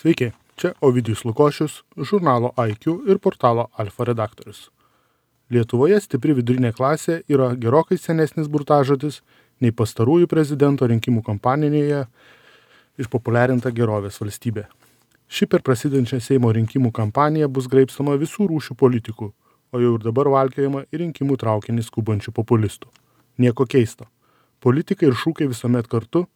Sveiki, čia Ovidijus Lukošius, žurnalo IQ ir portalo Alfa redaktorius. Lietuvoje stipri vidurinė klasė yra gerokai senesnis burtažodis nei pastarųjų prezidento rinkimų kampanijoje išpopuliarinta gerovės valstybė. Ši per prasidedančią Seimo rinkimų kampaniją bus graibstama visų rūšių politikų, o jau ir dabar valkiojama į rinkimų traukinį skubančių populistų. Nieko keisto. Politikai ir šūkiai visuomet kartu,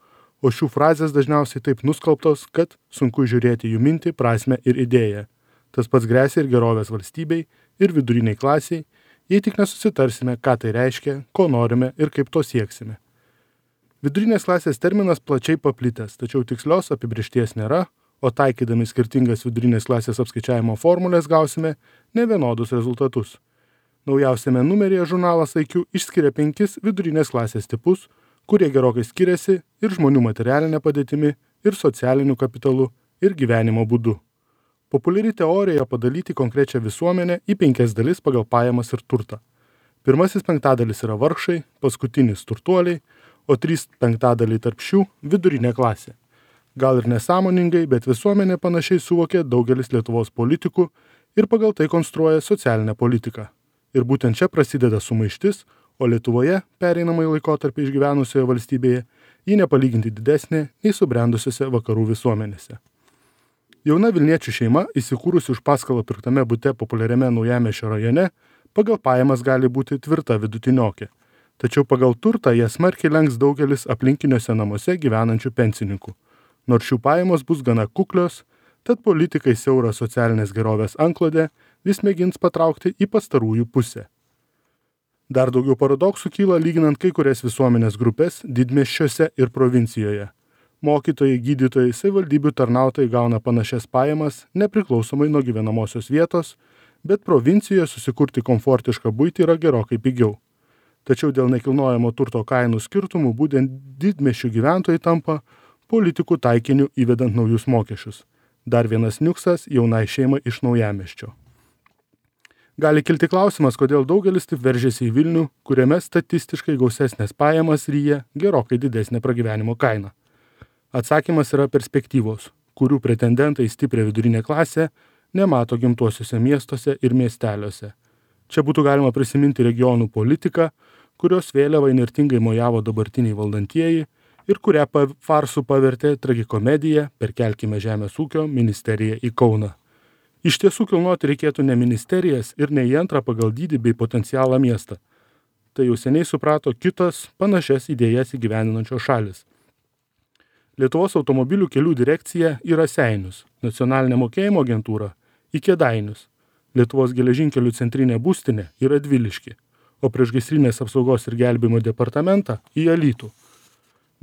o šių frazės dažniausiai taip nuskalbtos, kad sunku žiūrėti jų mintį, prasmę ir idėją. Tas pats gresia ir gerovės valstybei, ir viduriniai klasiai, jei tik nesusitarsime, ką tai reiškia, ko norime ir kaip to sieksime. Vidurinės klasės terminas plačiai paplitęs, tačiau tikslios apibrėžties nėra, o taikydami skirtingas vidurinės klasės apskaičiavimo formulės gausime nevienodus rezultatus. Naujausiame numeryje žurnalas IQ išskiria 5 vidurinės klasės tipus, kurie gerokai skiriasi ir žmonių materialinė padėtimi, ir socialiniu kapitalu, ir gyvenimo būdu. Populiari teorija padalyti konkrečią visuomenę į 5 dalis pagal pajamas ir turtą. Pirmasis 5 yra vargšai, paskutinis turtuoliai, o 3/5 tarp šių vidurinė klasė. Gal ir nesąmoningai, bet visuomenė panašiai suvokė daugelis Lietuvos politikų ir pagal tai konstruoja socialinę politiką. Ir būtent čia prasideda sumaištis, o Lietuvoje pereinamąjį laikotarpį išgyvenusioje valstybėje ji nepalyginti didesnė nei subrendusiose vakarų visuomenėse. Jauna Vilniečių šeima, įsikūrusi už paskolą pirktame bute populiariame Naujamiesčio rajone, pagal pajamas gali būti tvirta vidutiniokė. Tačiau pagal turtą jie smarkiai lenks daugelis aplinkiniuose namuose gyvenančių pensininkų. Nors šių pajamos bus gana kuklios, tad politikai siaurą socialinės gerovės antklodę vis mėgins patraukti į pastarųjų pusę. Dar daugiau paradoksų kyla lyginant kai kurias visuomenės grupės didmiesčiuose ir provincijoje. Mokytojai, gydytojai, savivaldybių tarnautojai gauna panašias pajamas nepriklausomai nuo gyvenamosios vietos, bet provincijoje susikurti komfortišką buitį yra gerokai pigiau. Tačiau dėl nekilnojamo turto kainų skirtumų būtent didmiesčių gyventojai tampa politikų taikiniu įvedant naujus mokesčius. Dar vienas niuksas jaunai šeimai iš Naujamiesčio. Gali kilti klausimas, kodėl daugelis taip veržėsi į Vilnių, kuriame statistiškai gausesnės pajamas ryja gerokai didesnė pragyvenimo kaina. Atsakymas yra perspektyvos, kurių pretendentai į stiprią vidurinę klasę nemato gimtuosiuose miestuose ir miesteliuose. Čia būtų galima prisiminti regionų politiką, kurios vėliavą įnirtingai mojavo dabartiniai valdantieji ir kurią farsų pavertė tragikomedija Perkelkime žemės ūkio ministeriją į Kauną. Iš tiesų kilnoti reikėtų ne ministerijas ir ne į antrą pagal dydį bei potencialą miestą. Tai jau seniai suprato kitos panašias idėjas įgyvendinančios šalis. Lietuvos automobilių kelių direkcija į Raseinius, nacionalinė mokėjimo agentūra į Kėdainius, Lietuvos geležinkelių centrinė būstinė į Radviliškį, o priešgaisrinės apsaugos ir gelbėjimo departamentą į Alytų.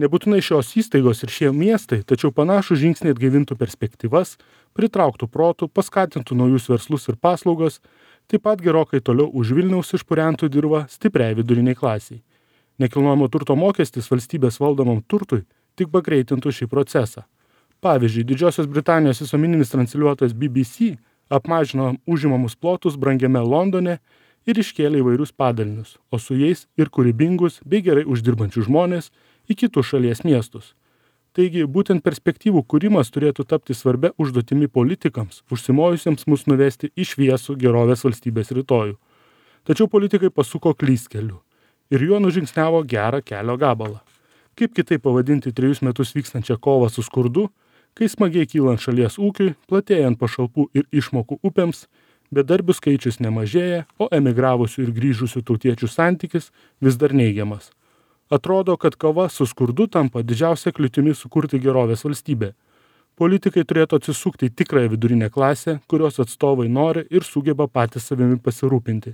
Nebūtinai šios įstaigos ir šie miestai, tačiau panašų žingsnį atgaivintų perspektyvas, pritrauktų protų, paskatintų naujus verslus ir paslaugas, taip pat gerokai toliau už Vilniaus išpurentų dirvą stipriai viduriniai klasiai. Nekilnojamo turto mokestis valstybės valdomam turtui tik pagreitintų šį procesą. Pavyzdžiui, Didžiosios Britanijos visuomeninis transliuotojas BBC apmažino užimamus plotus brangiame Londone ir iškėlė įvairius padalinius, o su jais ir kūrybingus bei gerai uždirbančius žmonės į kitus šalies miestus. Taigi, būtent perspektyvų kūrimas turėtų tapti svarbia užduotimi politikams, užsimojusiems mus nuvesti į šviesų gerovės valstybės rytojų. Tačiau politikai pasuko klystkeliu ir juo nužingsniavo gerą kelio gabalą. Kaip kitaip pavadinti 3 metus vykstančią kovą su skurdu, kai smagiai kylant šalies ūkiui, platėjant pašalpų ir išmokų upėms, bedarbių skaičius nemažėja, o emigravusių ir grįžusių tautiečių santykis vis dar neigiamas. Atrodo, kad kova su skurdu tampa didžiausia kliūtimi sukurti gerovės valstybę. Politikai turėtų atsisukti į tikrąją vidurinę klasę, kurios atstovai nori ir sugeba patys savimi pasirūpinti.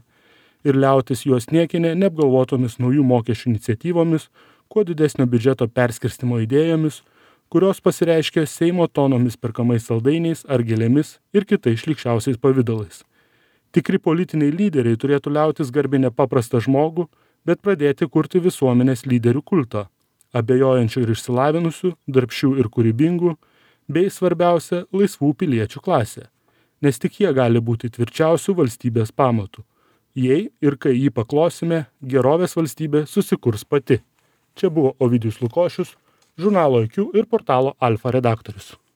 Ir liautis juos niekinė neapgalvotomis naujų mokesčių iniciatyvomis, kuo didesnio biudžeto perskirstimo idėjomis, kurios pasireiškia Seimo tonomis perkamais saldainiais ar gėlėmis ir kitais šlykščiausiais pavidalais. Tikri politiniai lyderiai turėtų liautis garbinę paprastą žmogų, bet pradėti kurti visuomenės lyderių kultą, abejojančių ir išsilavinusių, darbščių ir kūrybingų, bei svarbiausia laisvų piliečių klasė, nes tik jie gali būti tvirčiausių valstybės pamatų. Jei ir kai jį paklosime, gerovės valstybė susikurs pati. Čia buvo Ovidijus Lukošius, žurnalo IQ ir portalo Alfa redaktorius.